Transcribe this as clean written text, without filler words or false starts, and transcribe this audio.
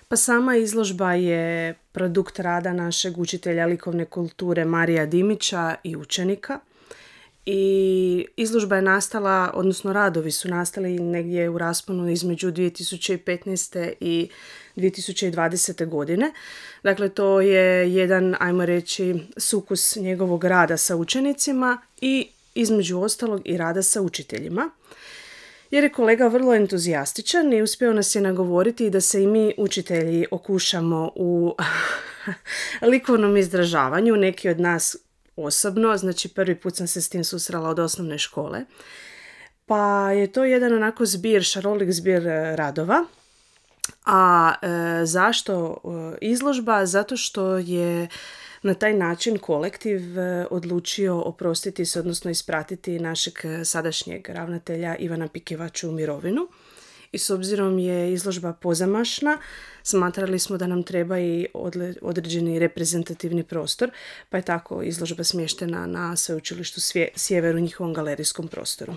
Pa sama izložba je produkt rada našeg učitelja likovne kulture Marija Dimića i učenika. I izložba je nastala, odnosno radovi su nastali negdje u rasponu između 2015. i 2020. godine. Dakle, to je jedan, ajmo reći, sukus njegovog rada sa učenicima i između ostalog i rada sa učiteljima. Jer je kolega vrlo entuzijastičan i uspio nas je nagovoriti da se i mi učitelji okušamo u likovnom izražavanju, neki od nas osobno, znači prvi put sam se s tim susrela od osnovne škole. Pa je to jedan onako šarolik zbir radova. A zašto izložba? Zato što je na taj način kolektiv odlučio oprostiti se, odnosno ispratiti našeg sadašnjeg ravnatelja Ivana Pikivaču u mirovinu. I s obzirom je izložba pozamašna, smatrali smo da nam treba i određeni reprezentativni prostor, pa je tako izložba smještena na Sveučilištu Sjever u njihovom galerijskom prostoru.